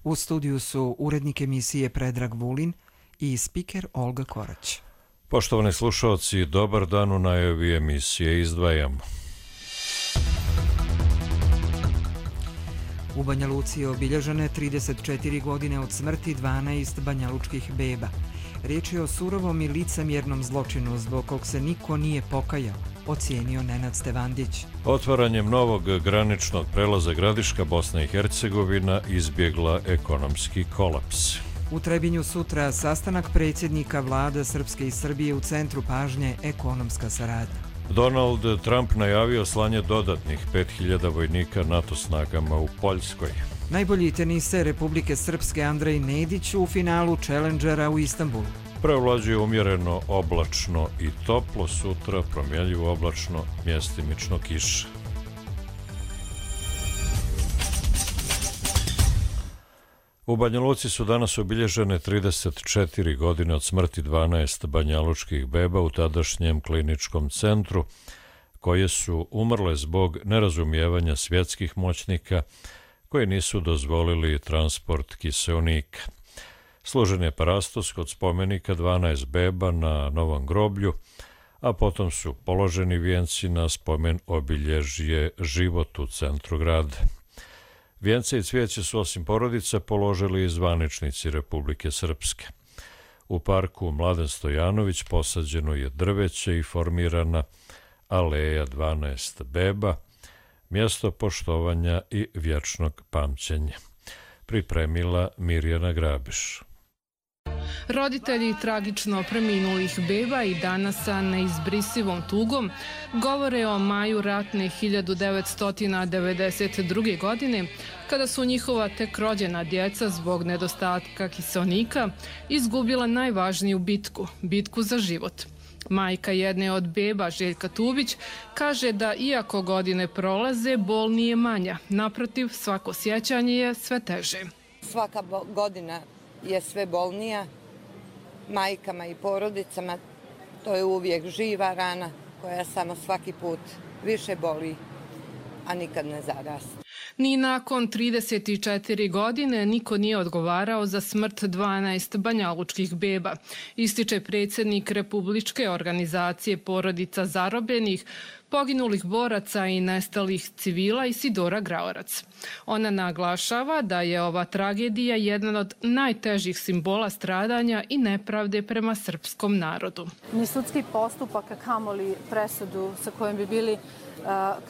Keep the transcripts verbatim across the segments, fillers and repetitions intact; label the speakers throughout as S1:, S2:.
S1: U studiju su urednik emisije Predrag Vulin i spiker Olga Korać.
S2: Poštovani slušalci, dobar dan, u najavi emisije izdvajamo.
S1: U Banja Luci je obilježene trideset četiri godine od smrti dvanaest banjalučkih beba. Riječ je o surovom i licemjernom zločinu zbog kog se niko nije pokajao, ocijenio Nenad Stevandić.
S2: Otvaranjem novog graničnog prelaza Gradiška Bosna i Hercegovina izbjegla ekonomski kolaps.
S1: U Trebinju sutra sastanak predsjednika vlada Srpske i Srbije u centru pažnje ekonomska saradnja.
S2: Donald Trump najavio slanje dodatnih pet hiljada vojnika NATO snagama u Poljskoj.
S1: Najbolji teniser Republike Srpske Andrej Nedić u finalu Challengera u Istanbulu.
S2: Prevlađuje umjereno oblačno i toplo, sutra promjenjivo oblačno, mjestimično kiša. U Banja Luci su danas obilježene trideset četiri godine od smrti dvanaest banjalučkih beba u tadašnjem kliničkom centru, koje su umrle zbog nerazumijevanja svjetskih moćnika koji nisu dozvolili transport kiseonika. Složen je parastos kod spomenika dvanaest beba na Novom groblju, a potom su položeni vijenci na spomen obilježje Život u centru grada. Vijence i cvijeće su osim porodica položili i zvaničnici Republike Srpske. U parku Mladen Stojanović posađeno je drveće i formirana aleja dvanaest beba, mjesto poštovanja i vječnog pamćenja. Pripremila Mirjana Grabiš.
S3: Roditelji tragično preminulih beba i danas sa neizbrisivom tugom govore o maju ratne hiljadu devetsto devedeset druge. godine, kada su njihova tek rođena djeca zbog nedostatka kiseonika izgubila najvažniju bitku, bitku za život. Majka jedne od beba, Željka Tubić, kaže da iako godine prolaze, bol nije manja. Naprotiv, svako sjećanje je sve teže.
S4: Svaka godina je sve bolnija. Majkama i porodicama to je uvijek živa rana koja samo svaki put više boli, a nikad ne zarasta.
S3: Ni nakon trideset četiri godine niko nije odgovarao za smrt dvanaest banjalučkih beba, ističe predsjednik Republičke organizacije porodica zarobljenih, poginulih boraca i nestalih civila Isidora Graorac. Ona naglašava da je ova tragedija jedan od najtežih simbola stradanja i nepravde prema srpskom narodu.
S5: Ni sudski postupak, a kamoli presudu sa kojom bi bili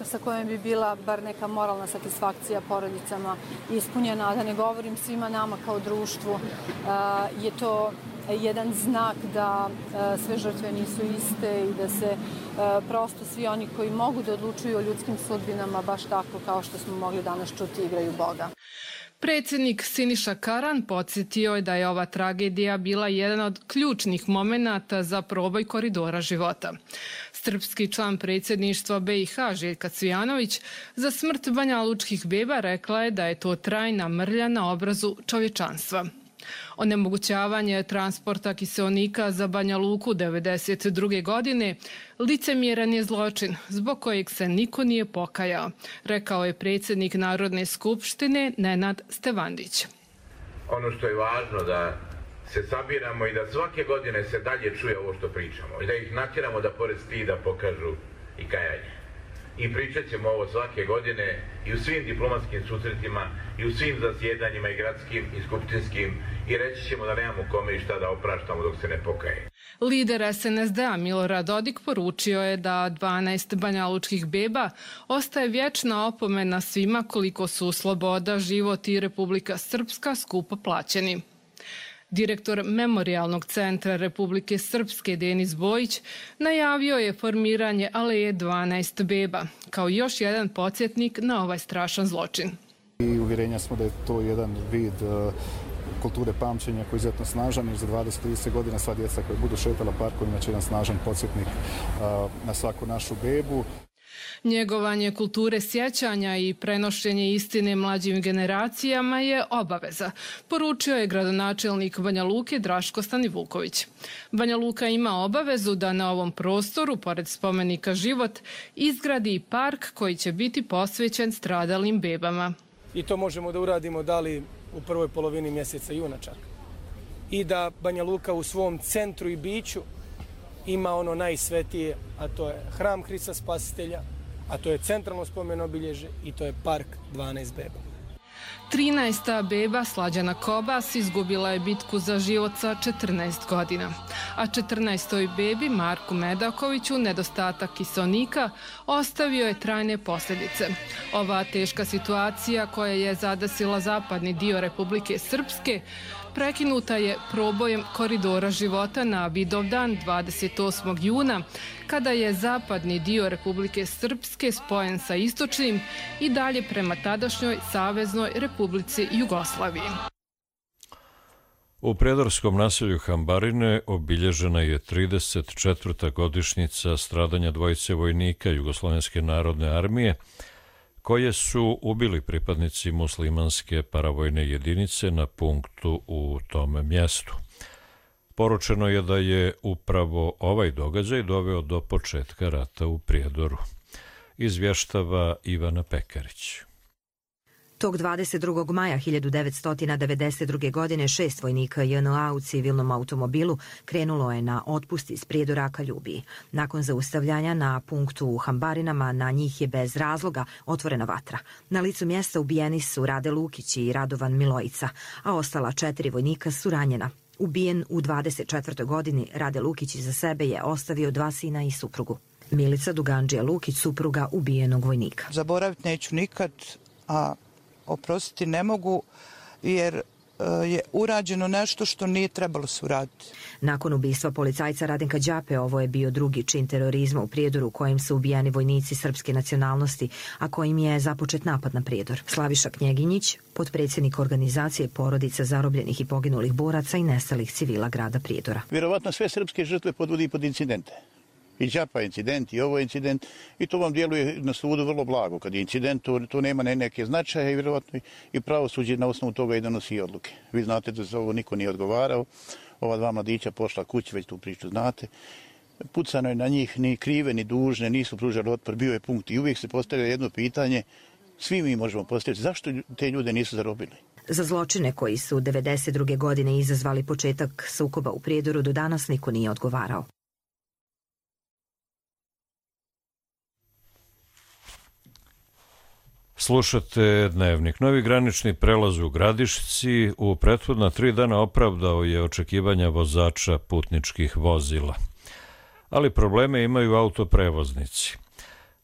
S5: sa kojom bi bila bar neka moralna satisfakcija porodicama ispunjena, a da ne govorim svima nama kao društvu, je to jedan znak da sve žrtve nisu iste i da se prosto svi oni koji mogu da odlučuju o ljudskim sudbinama baš tako kao što smo mogli danas čuti igraju Boga.
S3: Predsjednik Siniša Karan podsjetio je da je ova tragedija bila jedan od ključnih momenata za proboj koridora života. Srpski član predsjedništva be i ha Željka Cvijanović za smrt banjalučkih beba rekla je da je to trajna mrlja na obrazu čovječanstva. Onemogućavanje transporta kiseonika za Banja Luku devedeset druge. godine licemjeran je zločin zbog kojeg se niko nije pokajao, rekao je predsjednik Narodne skupštine Nenad Stevandić.
S6: Ono što je važno da se sabiramo i da svake godine se dalje čuje ovo što pričamo i da ih natjeramo da pored stida pokažu i kajanje. I pričat ćemo ovo svake godine i u svim diplomatskim susretima i u svim zasjedanjima i gradskim i skupštinskim i reći ćemo da nemamo kome i šta da opraštamo dok se ne pokaje.
S3: Lider es en es de a Milorad Dodik poručio je da dvanaest banjalučkih beba ostaje vječna opomena svima koliko su sloboda, život i Republika Srpska skupo plaćeni. Direktor Memorijalnog centra Republike Srpske Denis Bojić najavio je formiranje aleje dvanaest beba, kao još jedan podsjetnik na ovaj strašan zločin.
S7: I uvjerenja smo da je to jedan vid kulture pamćenja koji je izuzetno snažan, jer za dvadeset do trideset godina sva djeca koja budu šetala parkovima će jedan snažan podsjetnik na svaku našu bebu.
S3: Njegovanje kulture sjećanja i prenošenje istine mlađim generacijama je obaveza, poručio je gradonačelnik Banja Luke Draško Stanivuković. Banja Luka ima obavezu da na ovom prostoru, pored spomenika Život, izgradi park koji će biti posvećen stradalim bebama.
S8: I to možemo da uradimo da li u prvoj polovini mjeseca juna čak. I da Banja Luka u svom centru i biću ima ono najsvetije, a to je hram Hrista Spasitelja, a to je centralno spomen obilježje i to je park dvanaest beba.
S3: trinaesta beba Slađana Kobas izgubila je bitku za život sa četrnaest godina, a četrnaestoj bebi Marku Medakoviću nedostatak kiseonika ostavio je trajne posljedice. Ova teška situacija koja je zadesila zapadni dio Republike Srpske prekinuta je probojem koridora života na Vidovdan dvadeset osmog juna, kada je zapadni dio Republike Srpske spojen sa istočnim i dalje prema tadašnjoj Saveznoj Republici Jugoslaviji.
S2: U prijedorskom naselju Hambarine obilježena je trideset četvrta godišnjica stradanja dvojice vojnika Jugoslovenske narodne armije, koje su ubili pripadnici muslimanske paravojne jedinice na punktu u tom mjestu. Poručeno je da je upravo ovaj događaj doveo do početka rata u Prijedoru. Izvještava Ivana Pekarić.
S9: Tog dvadeset drugog maja hiljadu devetsto devedeset druge. godine šest vojnika J N A u civilnom automobilu krenulo je na otpust iz Prijedora ka Ljubiji. Nakon zaustavljanja na punktu u Hambarinama na njih je bez razloga otvorena vatra. Na licu mjesta ubijeni su Rade Lukić i Radovan Milojica, a ostala četiri vojnika su ranjena. Ubijen u dvadeset četvrtoj godini, Rade Lukić iza sebe je ostavio dva sina i suprugu. Milica Dugandžija Lukić, supruga ubijenog vojnika.
S10: Zaboraviti neću nikad, a oprostiti ne mogu, jer je urađeno nešto što nije trebalo se uraditi.
S9: Nakon ubistva policajca Radenka Đape, ovo je bio drugi čin terorizma u Prijedoru u kojem su ubijani vojnici srpske nacionalnosti, a kojim je započet napad na Prijedor. Slaviša Knjeginjić, potpredsjednik organizacije porodica zarobljenih i poginulih boraca i nestalih civila grada Prijedora.
S11: Vjerovatno sve srpske žrtve podvodi pod incidente. I Đapa incident, i ovo je incident, i to vam djeluje na sudu vrlo blago. Kad je incident, to, to nema ne neke značaje i vjerovatno i pravosuđe na osnovu toga i donosi odluke. Vi znate da za ovo niko nije odgovarao. Ova dva mladića pošla kući, već tu priču znate. Pucano je na njih, ni krive, ni dužne, nisu pružali otpor, bio je punkt. I uvijek se postavlja jedno pitanje, svi mi možemo postaviti, zašto te ljude nisu zarobili?
S9: Za zločine koji su devedeset druge. godine izazvali početak sukoba u Prijedoru do danas niko nije odgovarao.
S2: Slušate Dnevnik. Novi granični prelaz u Gradišci u prethodna tri dana opravdao je očekivanja vozača putničkih vozila. Ali probleme imaju autoprevoznici.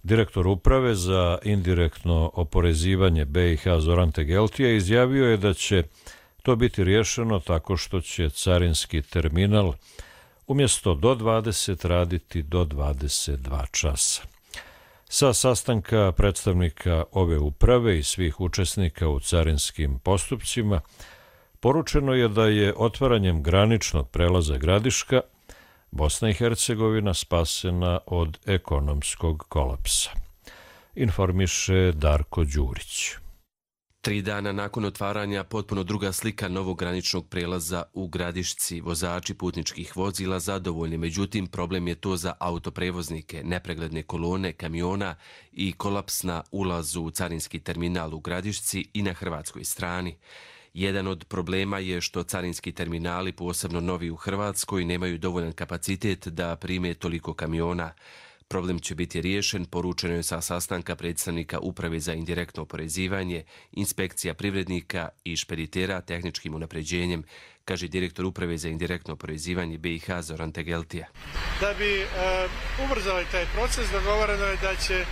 S2: Direktor uprave za indirektno oporezivanje B i H Zoran Tegeltija izjavio je da će to biti riješeno tako što će carinski terminal umjesto do dvadeset raditi do dvadeset dva časa. Sa sastanka predstavnika ove uprave i svih učesnika u carinskim postupcima poručeno je da je otvaranjem graničnog prelaza Gradiška Bosna i Hercegovina spasena od ekonomskog kolapsa. Informiše Darko Đurić.
S12: Tri dana nakon otvaranja potpuno druga slika novog graničnog prelaza u Gradišci. Vozači putničkih vozila zadovoljni, međutim problem je to za autoprevoznike, nepregledne kolone kamiona i kolaps na ulazu u carinski terminal u Gradišci i na hrvatskoj strani. Jedan od problema je što carinski terminali, posebno novi u Hrvatskoj, nemaju dovoljan kapacitet da prime toliko kamiona. Problem će biti riješen, poručeno je sa sastanka predstavnika Uprave za indirektno oporezivanje, inspekcija privrednika i špeditera tehničkim unapređenjem, kaže direktor Uprave za indirektno oporezivanje B i H Zoran Tegeltija.
S13: Da bi e, ubrzali taj proces, dogovoreno je da će e,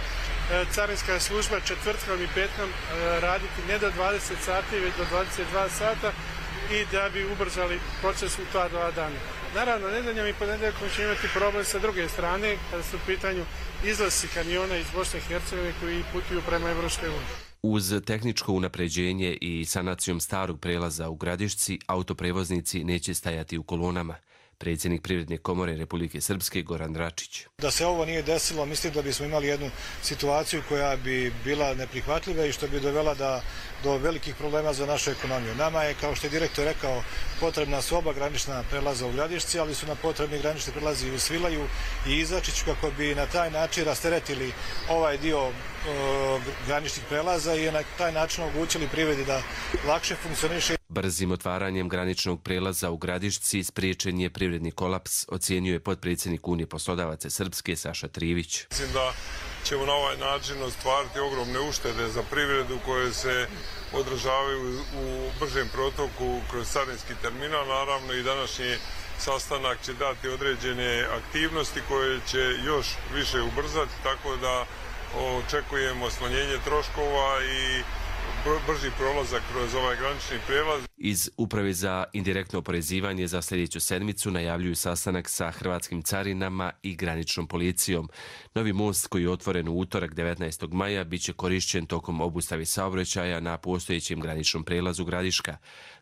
S13: carinska služba četvrtkom i petkom e, raditi ne do dvadeset sati, već do dvadeset dva sata i da bi ubrzali proces u ta dva dana. Naravno, nedeljom i ponedjeljkom će imati problem sa druge strane, kada su u pitanju izlasci kamiona iz Bosne i Hercegovine koji putuju prema Evropskoj uniji.
S12: Uz tehničko unapređenje i sanacijom starog prelaza u Gradišci, autoprevoznici neće stajati u kolonama. predsjednik Privredne komore Republike Srpske Goran Račić.
S14: Da se ovo nije desilo, mislim da bismo imali jednu situaciju koja bi bila neprihvatljiva i što bi dovela da, do velikih problema za našu ekonomiju. Nama je, kao što je direktor rekao, potrebna su oba granična prelaza u Gradišci, ali su nam potrebni granični prelazi i u Svilaju i Izačiću kako bi na taj način rasteretili ovaj dio e, graničnih prelaza i na taj način omogućili privredi da lakše funkcioniše.
S12: Brzim otvaranjem graničnog prelaza u Gradišci spriječen je privredni kolaps, ocjenjuje potpredsjednik Unije poslodavaca Srpske Saša Trivić.
S15: Mislim da ćemo na ovaj način ostvariti ogromne uštede za privredu koje se odražavaju u bržem protoku kroz carinski terminal. Naravno i današnji sastanak će dati određene aktivnosti koje će još više ubrzati, tako da očekujemo smanjenje troškova i brži prolazak kroz ovaj granični prijelaz.
S12: Iz Uprave za indirektno oporezivanje za sljedeću sedmicu najavljuju sastanak sa hrvatskim carinama i graničnom policijom. Novi most koji je otvoren u utorak devetnaestog maja bit će korišćen tokom obustave saobraćaja na postojećem graničnom prelazu Gradiška,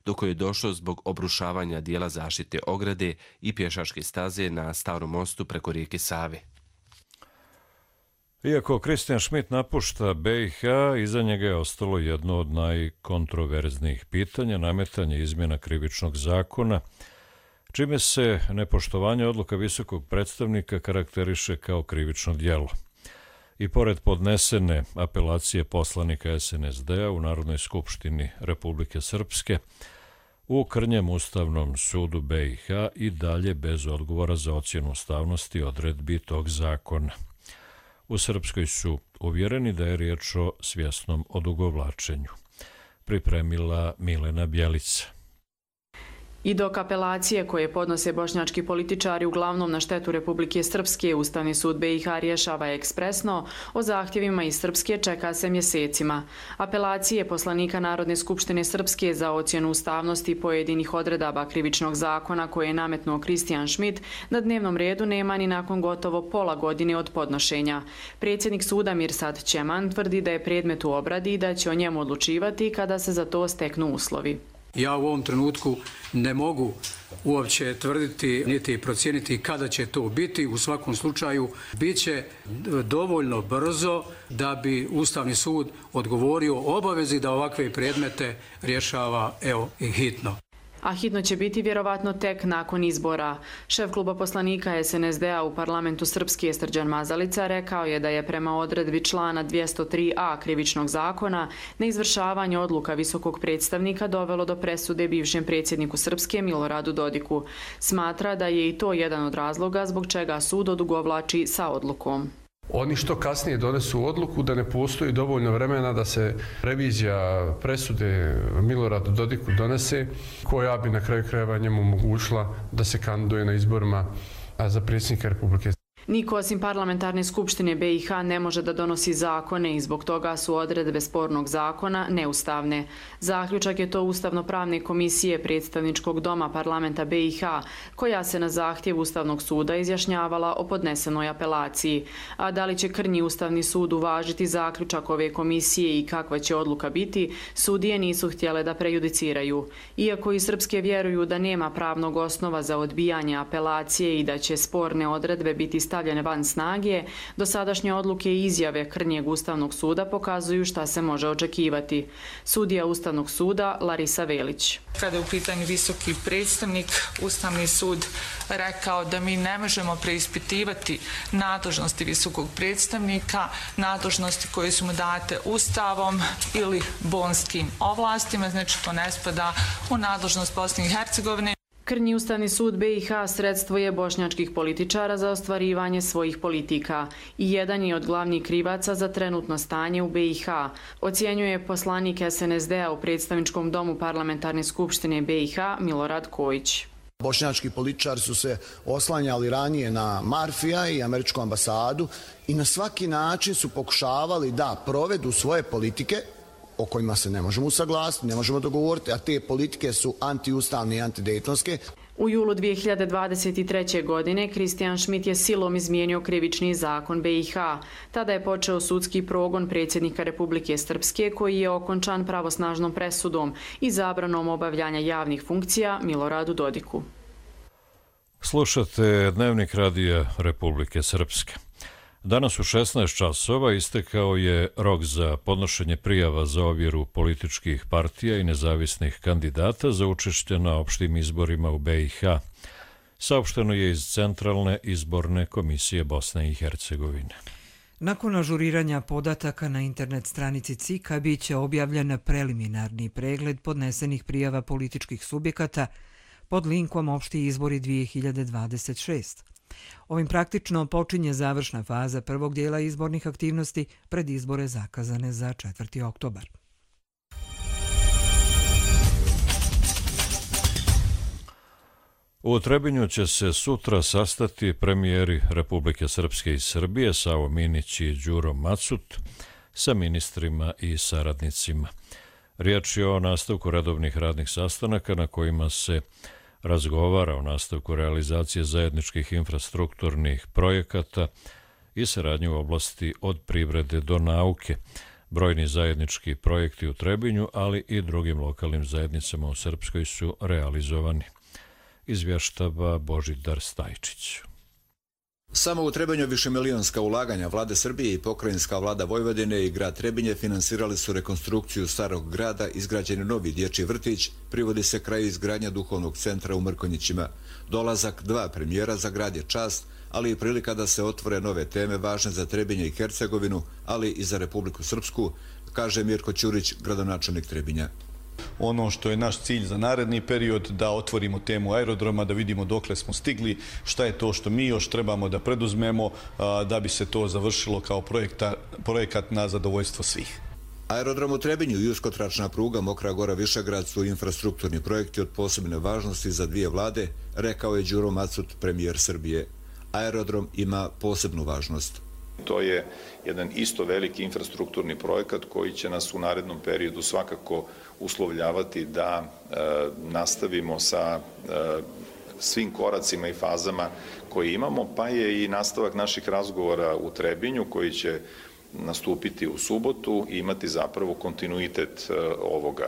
S12: do koje je došlo zbog obrušavanja dijela zaštite ograde i pješačke staze na starom mostu preko rijeke Save.
S2: Iako Kristijan Šmit napušta B i H, iza njega je ostalo jedno od najkontroverznijih pitanja, nametanje izmjena krivičnog zakona, čime se nepoštovanje odluka visokog predstavnika karakteriše kao krivično djelo. I pored podnesene apelacije poslanika S N S D-a u Narodnoj skupštini Republike Srpske, u krnjem Ustavnom sudu B i H i dalje bez odgovora za ocjenu ustavnosti odredbi tog zakona. U Srpskoj su uvjereni da je riječ o svjesnom odugovlačenju. Pripremila Milena Bjelica.
S16: I dok apelacije koje podnose bošnjački političari uglavnom na štetu Republike Srpske, Ustavni sud B i H rješava ekspresno, o zahtjevima iz Srpske čeka se mjesecima. Apelacije poslanika Narodne skupštine Srpske za ocjenu ustavnosti pojedinih odredaba krivičnog zakona koje je nametnuo Kristijan Šmit na dnevnom redu nema ni nakon gotovo pola godine od podnošenja. Predsjednik suda Mirsad Ćeman tvrdi da je predmet u obradi i da će o njemu odlučivati kada se za to steknu uslovi.
S17: Ja u ovom trenutku ne mogu uopće tvrditi niti procijeniti kada će to biti. U svakom slučaju bit će dovoljno brzo da bi Ustavni sud odgovorio obavezi da ovakve predmete rješava evo i hitno.
S16: A hitno će biti vjerovatno tek nakon izbora. Šef kluba poslanika S N S D-a u parlamentu Srpske Srđan Mazalica rekao je da je prema odredbi člana dvjesto tri a krivičnog zakona neizvršavanje odluka visokog predstavnika dovelo do presude bivšem predsjedniku Srpske Miloradu Dodiku. Smatra da je i to jedan od razloga zbog čega sud odugovlači sa odlukom.
S18: Oni što kasnije donesu odluku da ne postoji dovoljno vremena da se revizija presude Miloradu Dodiku donese, koja bi na kraju krajeva njemu omogućila da se kandiduje na izborima za predsjednika Republike.
S16: Niko osim parlamentarne skupštine B i H ne može da donosi zakone i zbog toga su odredbe spornog zakona neustavne. Zaključak je to Ustavno-pravne komisije predstavničkog doma parlamenta B i H, koja se na zahtjev Ustavnog suda izjašnjavala o podnesenoj apelaciji. A da li će krnji Ustavni sud uvažiti zaključak ove komisije i kakva će odluka biti, sudije nisu htjele da prejudiciraju. Iako i srpske vjeruju da nema pravnog osnova za odbijanje apelacije i da će sporne odredbe biti stavljene van snage, dosadašnje odluke i izjave krnjeg Ustavnog suda pokazuju šta se može očekivati. Sudija Ustavnog suda Larisa Velić.
S19: Kada je u pitanju visoki predstavnik, Ustavni sud rekao da mi ne možemo preispitivati nadležnosti visokog predstavnika, nadležnosti koje su mu date Ustavom ili bonskim ovlastima, znači to ne spada u nadležnost Bosne i Hercegovine.
S16: Krnji Ustavni sud B i H sredstvo je bošnjačkih političara za ostvarivanje svojih politika i jedan je od glavnih krivaca za trenutno stanje u B i H, ocjenjuje poslanik S N S D-a u predstavničkom domu parlamentarne skupštine B i H Milorad Kojić.
S20: Bošnjački političari su se oslanjali ranije na Marfija i američku ambasadu i na svaki način su pokušavali da provedu svoje politike o kojima se ne možemo usaglasiti, ne možemo dogovoriti, a te politike su antiustavne i antidejtonske.
S16: U julu dvije hiljade dvadeset treće. godine Kristijan Šmit je silom izmijenio krivični zakon B i H. Tada je počeo sudski progon predsjednika Republike Srpske koji je okončan pravosnažnom presudom i zabranom obavljanja javnih funkcija Miloradu Dodiku.
S2: Slušate Dnevnik radija Republike Srpske. Danas u šesnaest časova istekao je rok za podnošenje prijava za ovjeru političkih partija i nezavisnih kandidata za učešće na opštim izborima u B i H. Saopšteno je iz Centralne izborne komisije Bosne i Hercegovine.
S1: Nakon ažuriranja podataka na internet stranici C I K-a biće objavljen preliminarni pregled podnesenih prijava političkih subjekata pod linkom Opšti izbori dvije hiljade dvadeset šest. Ovim praktično počinje završna faza prvog dijela izbornih aktivnosti pred izbore zakazane za četvrti oktobar.
S2: U Trebinju će se sutra sastati premijeri Republike Srpske i Srbije Savo Minić i Đuro Macut sa ministrima i saradnicima. Riječ je o nastavku redovnih radnih sastanaka na kojima se razgovara o nastavku realizacije zajedničkih infrastrukturnih projekata i saradnje u oblasti od privrede do nauke. Brojni zajednički projekti u Trebinju, ali i drugim lokalnim zajednicama u Srpskoj su realizovani. Izvještava Božidar Stajčić.
S21: Samo u Trebinju višemilijonska ulaganja vlade Srbije i pokrajinska vlada Vojvodine i grad Trebinje finansirali su rekonstrukciju starog grada, izgrađen je novi dječji vrtić, privodi se kraj izgradnja duhovnog centra u Mrkonjićima. Dolazak dva premijera za grad je čast, ali i prilika da se otvore nove teme važne za Trebinje i Hercegovinu, ali i za Republiku Srpsku, kaže Mirko Ćurić, gradonačelnik Trebinja.
S22: Ono što je naš cilj za naredni period, da otvorimo temu aerodroma, da vidimo dokle smo stigli, šta je to što mi još trebamo da preduzmemo da bi se to završilo kao projekta, projekat na zadovoljstvo svih.
S21: Aerodrom u Trebinju i uskotračna pruga Mokra Gora Višegrad su infrastrukturni projekti od posebne važnosti za dvije vlade, rekao je Đuro Macut, premijer Srbije. Aerodrom ima posebnu važnost.
S23: To je jedan isto veliki infrastrukturni projekat koji će nas u narednom periodu svakako uslovljavati da e, nastavimo sa e, svim koracima i fazama koje imamo, pa je i nastavak naših razgovora u Trebinju koji će nastupiti u subotu i imati zapravo kontinuitet e, ovoga.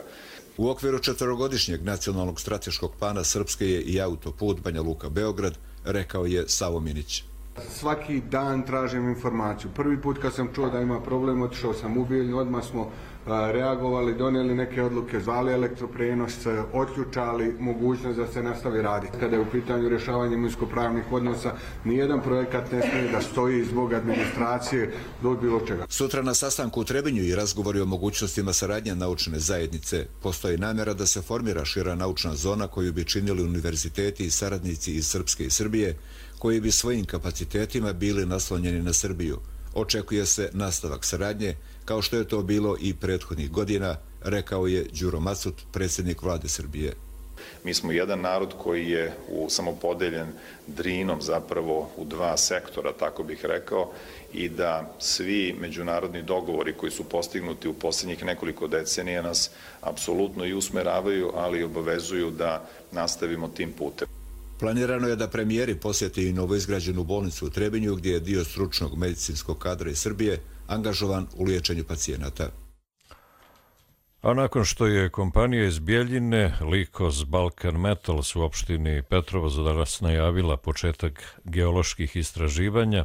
S21: U okviru četverogodišnjeg nacionalnog strateškog plana Srpske je i autoput Banja Luka-Beograd, rekao je Savo Minić.
S24: Svaki dan tražim informaciju. Prvi put kad sam čuo da ima problem, otišao sam u Bijeljinu, odmah smo reagovali, donijeli neke odluke, zvali elektroprenos, otključali mogućnost da se nastavi raditi. Kada je u pitanju rješavanje imovinsko-pravnih odnosa, nijedan projekat ne smije da stoji zbog administracije do bilo čega.
S21: Sutra na sastanku u Trebinju i razgovori o mogućnostima saradnje naučne zajednice. Postoji namjera da se formira šira naučna zona koju bi činili univerziteti i saradnici iz Srpske i Srbije, koji bi svojim kapacitetima bili naslonjeni na Srbiju. Očekuje se nastavak saradnje, kao što je to bilo i prethodnih godina, rekao je Đuro Macut, predsjednik vlade Srbije.
S23: Mi smo jedan narod koji je u samopodeljen Drinom zapravo u dva sektora, tako bih rekao, i da svi međunarodni dogovori koji su postignuti u posljednjih nekoliko decenija nas apsolutno i usmeravaju, ali i obavezuju da nastavimo tim putem.
S21: Planirano je da premijeri posjeti i novoizgrađenu bolnicu u Trebinju, gdje je dio stručnog medicinskog kadra iz Srbije angažovan u liječenju pacijenata.
S2: A nakon što je kompanija iz Bijeljine Likos Balkan Metals u opštini Petrovo za danas najavila početak geoloških istraživanja,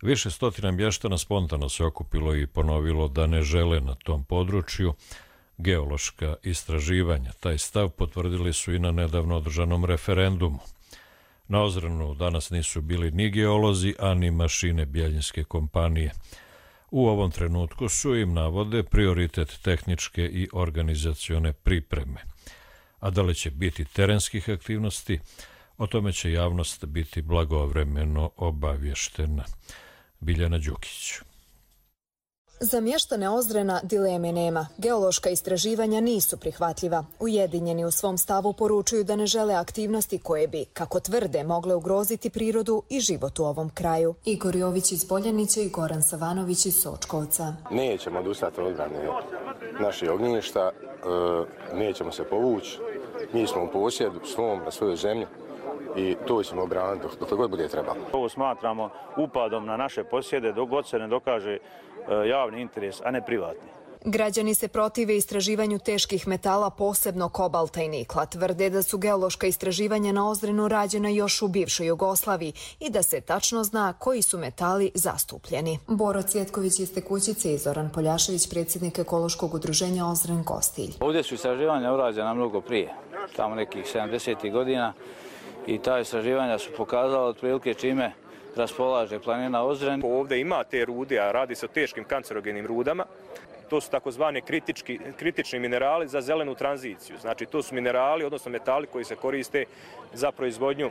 S2: više stotina mještana spontano se okupilo i ponovilo da ne žele na tom području geološka istraživanja. Taj stav potvrdili su i na nedavno održanom referendumu. Na Ozrenu danas nisu bili ni geolozi, a ni mašine bijeljinske kompanije. U ovom trenutku su im, navode, prioritet tehničke i organizacione pripreme. A da li će biti terenskih aktivnosti, o tome će javnost biti blagovremeno obavještena. Biljana Đukić.
S25: Za mještane Ozrena dileme nema. Geološka istraživanja nisu prihvatljiva. Ujedinjeni u svom stavu poručuju da ne žele aktivnosti koje bi, kako tvrde, mogle ugroziti prirodu i život u ovom kraju. Igor Jović iz Boljanića i Goran Savanović iz Sočkovca.
S26: Nećemo odustati od odbrane naših ognjišta, nećemo se povući. Mi smo u posjedu svom na svojoj zemlji i to ćemo obraniti dok god bude trebalo.
S27: Ovo smatramo upadom na naše posjede dok god se ne dokaže javni interes, a ne privatni.
S25: Građani se protive istraživanju teških metala, posebno kobalta i nikla. Tvrde da su geološka istraživanja na Ozrenu rađena još u bivšoj Jugoslaviji i da se tačno zna koji su metali zastupljeni. Boro Cvjetković iz Tekućice i Zoran Poljašević, predsjednik ekološkog udruženja Ozren Kostilj.
S3: Ovdje su istraživanja urađena mnogo prije, tamo nekih sedamdesetih godina, i ta istraživanja su pokazala otprilike čime raspolaže planina Ozren.
S4: Ovdje ima te rude, a radi se o teškim kancerogenim rudama. To su takozvani kritični minerali za zelenu tranziciju. Znači, to su minerali, odnosno metali koji se koriste za proizvodnju e,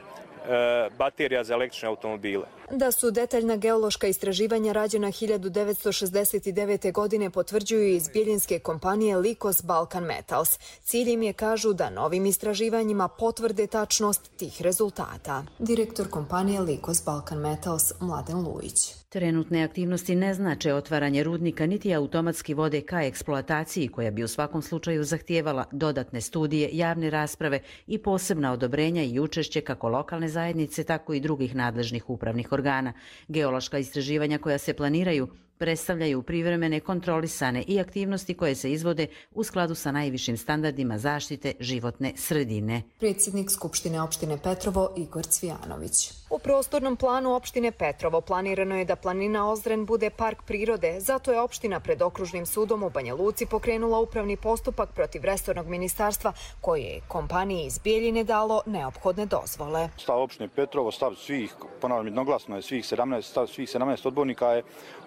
S4: baterija za električne automobile.
S25: Da su detaljna geološka istraživanja rađena hiljadu devetsto šezdeset devete. godine potvrđuju iz bijeljinske kompanije Likos Balkan Metals. Cilj im je, kažu, da novim istraživanjima potvrde tačnost tih rezultata. Direktor kompanije Likos Balkan Metals Mladen Lujić.
S5: Trenutne aktivnosti ne znače otvaranje rudnika niti automatski vode ka eksploataciji, koja bi u svakom slučaju zahtijevala dodatne studije, javne rasprave i posebna odobrenja i učešće kako lokalne zajednice, tako i drugih nadležnih upravnih organa. Geološka istraživanja koja se planiraju predstavljaju privremene, kontrolisane i aktivnosti koje se izvode u skladu sa najvišim standardima zaštite životne sredine.
S25: Predsjednik Skupštine opštine Petrovo Igor Cvijanović. U prostornom planu opštine Petrovo planirano je da planina Ozren bude park prirode, zato je opština pred okružnim sudom u Banja Luci pokrenula upravni postupak protiv resornog ministarstva koje je kompaniji iz Bijeljine dalo neophodne dozvole.
S6: Stav opštine Petrovo, stav svih, ponavljam jednoglasno je svih sedamnaest, stav svih sedamnaest odbornika je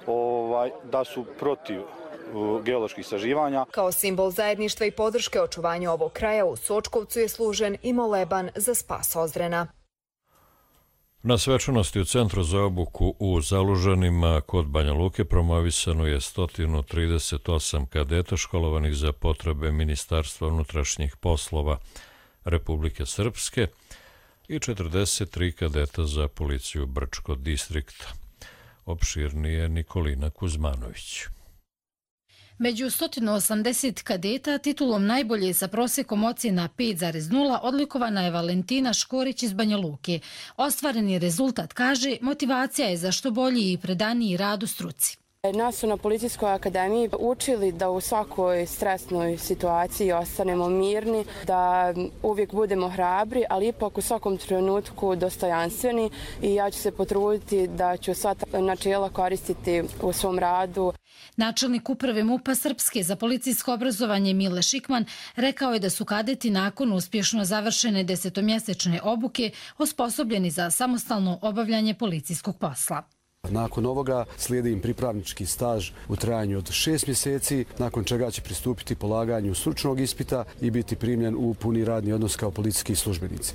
S6: ovaj, da su protiv geoloških istraživanja.
S25: Kao simbol zajedništva i podrške očuvanju ovog kraja u Sočkovcu je služen i moleban za spas Ozrena.
S2: Na svečanosti u Centru za obuku u Zalužanima kod Banja Luke promovisano je sto trideset osam kadeta školovanih za potrebe Ministarstva unutrašnjih poslova Republike Srpske i četrdeset tri kadeta za policiju Brčko distrikta. Opširnije Nikolina Kuzmanović.
S7: Među sto osamdeset kadeta titulom najbolje sa prosekom ocjena pet zarez nula odlikovana je Valentina Škorić iz Banja Luke. Ostvareni rezultat, kaže, motivacija je za što bolji i predaniji rad u struci.
S8: Nas su na Policijskoj akademiji učili da u svakoj stresnoj situaciji ostanemo mirni, da uvijek budemo hrabri, ali ipak u svakom trenutku dostojanstveni, i ja ću se potruditi da ću sva ta načela koristiti u svom radu.
S7: Načelnik uprave MUP-a Srpske za policijsko obrazovanje Mile Šikman rekao je da su kadeti nakon uspješno završene desetomjesečne obuke osposobljeni za samostalno obavljanje policijskog posla.
S27: Nakon ovoga slijedi im pripravnički staž u trajanju od šest mjeseci, nakon čega će pristupiti polaganju stručnog ispita i biti primljen u puni radni odnos kao policijski službenici.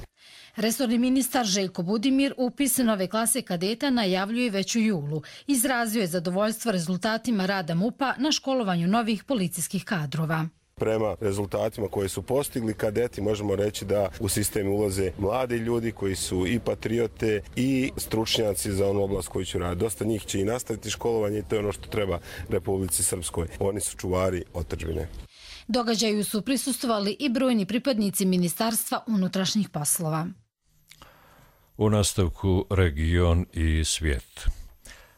S7: Resorni ministar Željko Budimir upis nove klase kadeta najavljuje već u julu. Izrazio je zadovoljstvo rezultatima rada MUP-a na školovanju novih policijskih kadrova.
S28: Prema rezultatima koje su postigli kadeti, možemo reći da u sistem ulaze mladi ljudi koji su i patriote i stručnjaci za onu oblast koju će raditi. Dosta njih će i nastaviti školovanje i to je ono što treba Republici Srpskoj. Oni su čuvari otadžbine.
S7: Događaju su prisustvovali i brojni pripadnici Ministarstva unutrašnjih poslova.
S2: U nastavku region i svijet.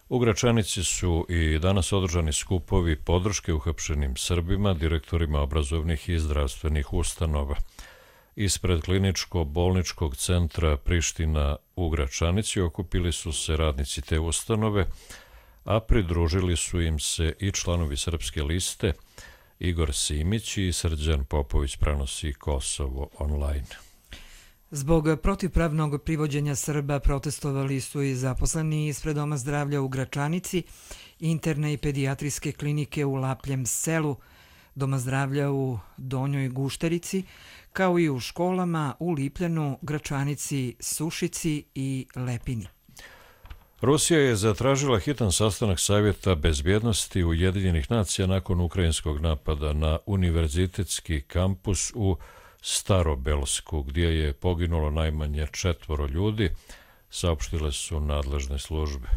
S2: U Gračanici su i danas održani skupovi podrške uhapšenim Srbima, direktorima obrazovnih i zdravstvenih ustanova. Ispred kliničko-bolničkog centra Priština u Gračanici okupili su se radnici te ustanove, a pridružili su im se i članovi Srpske liste Igor Simić i Srđan Popović, prenosi Kosovo online.
S1: Zbog protivpravnog privođenja Srba protestovali su i zaposleni ispred Doma zdravlja u Gračanici, interne i pedijatrijske klinike u Lapljem selu, Doma zdravlja u Donjoj Gušterici, kao i u školama u Lipljanu, Gračanici, Sušici i Lepini.
S2: Rusija je zatražila hitan sastanak Savjeta bezbjednosti Ujedinjenih nacija nakon ukrajinskog napada na univerzitetski kampus u Starobelsku, gdje je poginulo najmanje četvoro ljudi, saopštile su nadležne službe.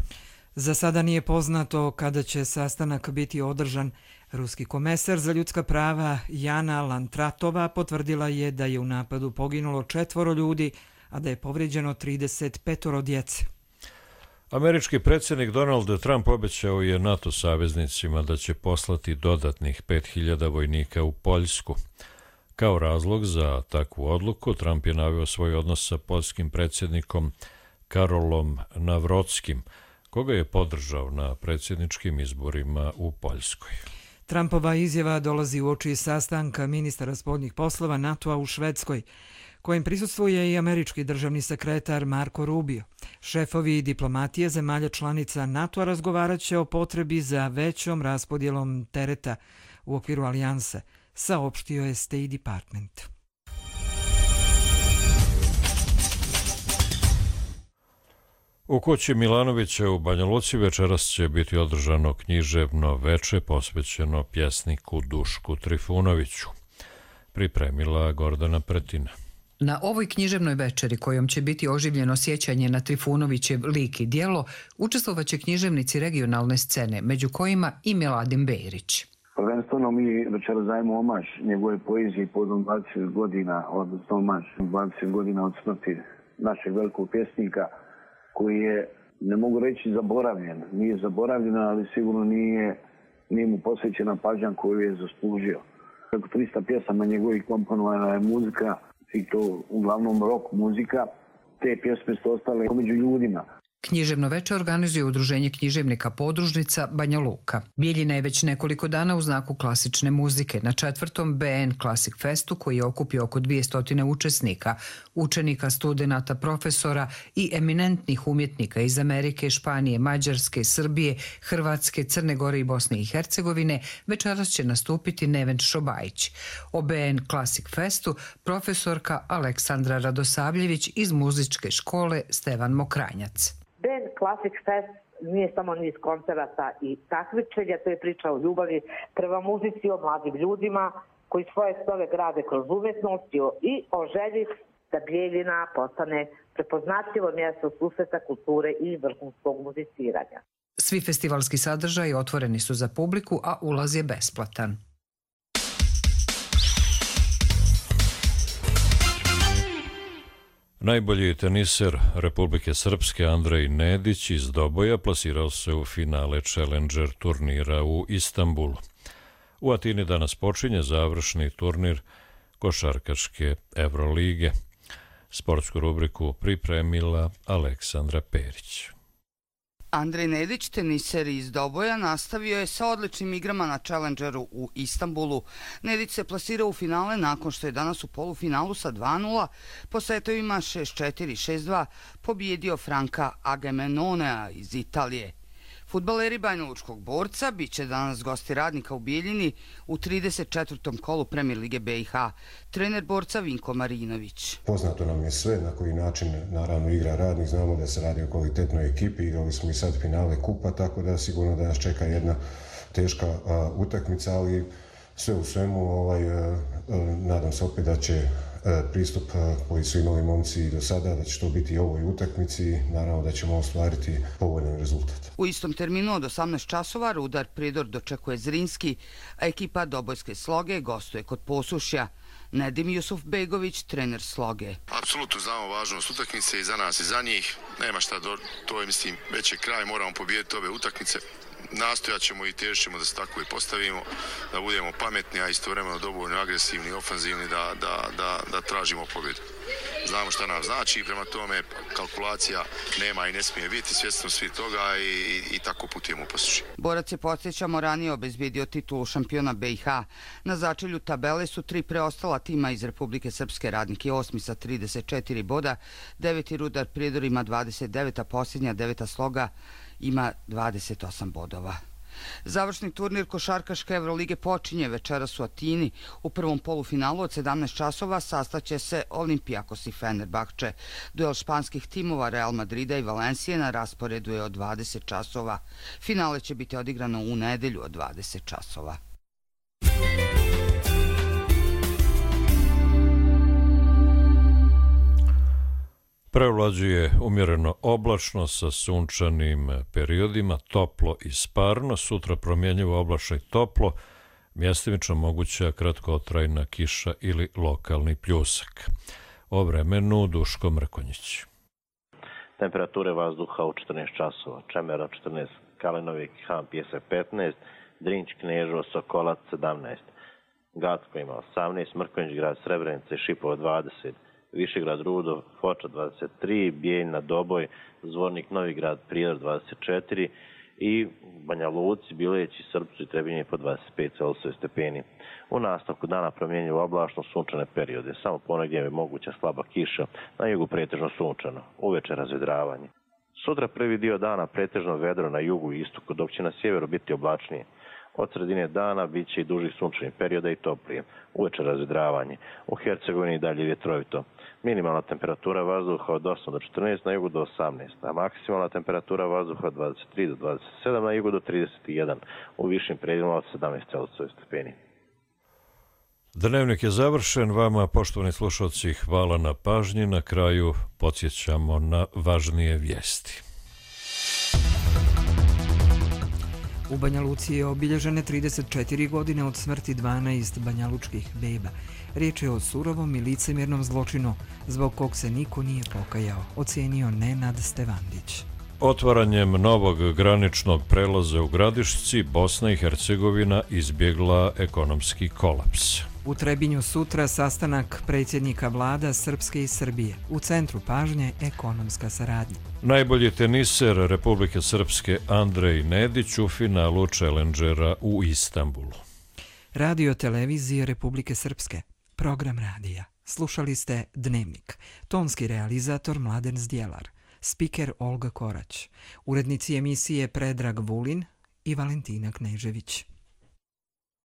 S1: Za sada nije poznato kada će sastanak biti održan. Ruski komesar za ljudska prava Jana Lantratova potvrdila je da je u napadu poginulo četvoro ljudi, a da je povrijeđeno trideset pet djece.
S2: Američki predsjednik Donald Trump obećao je NATO saveznicima da će poslati dodatnih pet hiljada vojnika u Poljsku. Kao razlog za takvu odluku Trump je naveo svoj odnos sa poljskim predsjednikom Karolom Nawrockim, koga je podržao na predsjedničkim izborima u Poljskoj.
S1: Trumpova izjava dolazi u oči sastanka ministara spoljnih poslova NATO-a u Švedskoj, kojem prisustvuje i američki državni sekretar Marco Rubio. Šefovi diplomatije zemalja članica NATO-a razgovarat će o potrebi za većom raspodjelom tereta u okviru alijanse, saopštio je State Department.
S2: U kući Milanovića u Banja Luci večeras će biti održano književno veče posvećeno pjesniku Dušku Trifunoviću. Pripremila Gordana Pretina.
S9: Na ovoj književnoj večeri, kojom će biti oživljeno sjećanje na Trifunovićev lik i djelo, učestvovaće književnici regionalne scene, među kojima i Miladin Bejrić.
S10: Prvenstveno mi večeras dajemo omaž njegove poezije povodom dvadeset godina, odnosno omaž dvadeset godina od smrti našeg velikog pjesnika, koji je, ne mogu reći zaboravljen, nije zaboravljen, ali sigurno nije, nije mu posvećena pažnja koju je zaslužio. Preko trista pjesama njegovih komponovana je muzika, i to uglavnom rock muzika, te pjesme su ostale među ljudima.
S9: Književno veče organizuje Udruženje književnika podružnica Banja Luka. Bijeljina je već nekoliko dana u znaku klasične muzike na četvrtom B N Classic Festu, koji je okupio oko dvjesto učesnika, učenika, studenata, profesora i eminentnih umjetnika iz Amerike, Španije, Mađarske, Srbije, Hrvatske, Crne Gore i Bosne i Hercegovine. Večeras će nastupiti Neven Šobajić. O B N Classic Festu profesorka Aleksandra Radosavljević iz muzičke škole Stevan Mokranjac.
S11: B N Classic Fest nije samo niz koncerata i takmičenja, to je priča o ljubavi prema muzici, o mladim ljudima koji svoje snove grade kroz umjetnost i o želji da Bijeljina postane prepoznatljivo mjesto susreta kulture i vrhunskog muziciranja.
S9: Svi festivalski sadržaji otvoreni su za publiku, a ulaz je besplatan.
S2: Najbolji teniser Republike Srpske Andrej Nedić iz Doboja plasirao se u finale Challenger turnira u Istanbulu. U Atini danas počinje završni turnir košarkaške Evrolige. Sportsku rubriku pripremila Aleksandra Perić.
S12: Andrej Nedić, teniser iz Doboja, nastavio je sa odličnim igrama na Challengeru u Istanbulu. Nedić se plasirao u finale nakon što je danas u polufinalu sa dva nula po setovima šest četiri šest dva pobijedio Franka Agamenonea iz Italije. Fudbaleri Banjalučkog Borca bit će danas gosti Radnika u Bijeljini u trideset četvrtom kolu Premier Lige B i H. Trener Borca Vinko Marinović.
S13: Poznato nam je sve na koji način naravno igra Radnik. Znamo da se radi o kvalitetnoj ekipi. Igrali smo i sad finale kupa, tako da sigurno da nas čeka jedna teška a, utakmica, ali sve u svemu ovaj, a, a, nadam se opet da će pristup koji su imali momci do sada, da će to biti i ovoj utakmici, naravno da ćemo ostvariti povoljan rezultat.
S12: U istom terminu od osamnaest časova Rudar Pridor dočekuje Zrinski, a ekipa Dobojske Sloge gostuje kod Posušja. Nedim Jusufbegović, trener Sloge.
S14: Apsolutno znamo važnost utakmice i za nas i za njih. Nema šta, do, to je mislim već je kraj, moramo pobijediti ove utakmice. Nastojat ćemo i težit ćemo da se tako i postavimo, da budemo pametni, a istovremeno dovoljno agresivni i ofanzivni da, da, da, da tražimo pobjedu. Znamo šta nam znači, prema tome kalkulacija nema i ne smije biti, svjesno svi toga i, i, i tako putujemo u Posušje.
S12: Borac je, podsjećamo, ranije obezbijedio titulu šampiona B i H. Na začelju tabele su tri preostala tima iz Republike Srpske, Radnik je osmi sa trideset četiri boda, deveti Rudar Prijedor ima dvadeset devet, a posljednja deveta Sloga ima dvadeset osam bodova. Završni turnir košarkaške Evrolige počinje večeras u Atini. U prvom polufinalu od sedamnaest časova sastaće se Olimpijakos i Fenerbahče. Duel španskih timova Real Madrida i Valencije na rasporedu je od dvadeset časova. Finale će biti odigrano u nedelju od dvadeset časova.
S2: Prevlađuje umjereno oblačno sa sunčanim periodima, toplo i sparno, sutra promjenjivo oblačno i toplo, mjestimično moguća kratkotrajna kiša ili lokalni pljusak. O vremenu Duško Mrkonjić.
S15: Temperature vazduha u četrnaest časova. Čemera četrnaest, Kalinovik, Han, Pjesak petnaest, Drinć, Kneževo, Sokolac sedamnaest, Gacko ima osamnaest, Mrkonjić grad, Srebrenica i Šipovo dvadeset, Višegrad, Rudo, Foča dvadeset tri, Bijeljna, Doboj, Zvornik, Novigrad, Prijedor dvadeset četiri i Banja Luci, Bileć i Srpcu i Trebinje po dvadeset pet Celzijusovih stepeni. U nastavku dana promjenjivo oblačno sunčane periode, samo ponegdje je moguća slaba kiša, na jugu pretežno sunčano, uveče razvedravanje. Sutra prvi dio dana pretežno vedro na jugu i istoku, dok će na sjeveru biti oblačnije. Od sredine dana bit će i dužih sunčanih perioda i toplije, uveče razvedravanje. U Hercegovini dalje vjetrovito. Minimalna temperatura vazduha od osam do četrnaest, na jugu do osamnaest, a maksimalna temperatura vazduha od dvadeset tri do dvadeset sedam, na jugu do trideset jedan, u višim predjelima od sedamnaest Celzijusovih stepeni.
S2: Dnevnik je završen. Vama, poštovani slušalci, hvala na pažnji. Na kraju podsjećamo na važnije vijesti.
S1: U Banja Luci je obilježene trideset četiri godine od smrti dvanaest banjalučkih beba. Riječ je o surovom i licemjernom zločinu, zbog kog se niko nije pokajao, ocenio Nenad Stevandić.
S2: Otvaranjem novog graničnog prelaza u Gradišci, Bosna i Hercegovina izbjegla ekonomski kolaps.
S1: U Trebinju sutra sastanak predsjednika vlada Srpske i Srbije. U centru pažnje ekonomska saradnja.
S2: Najbolji teniser Republike Srpske Andrej Nedić u finalu Challengera u Istanbulu.
S1: Radio televizije Republike Srpske. Program radija. Slušali ste Dnevnik. Tonski realizator Mladen Zdjelar. Spiker Olga Korać. Urednici emisije Predrag Vulin i Valentina Knežević.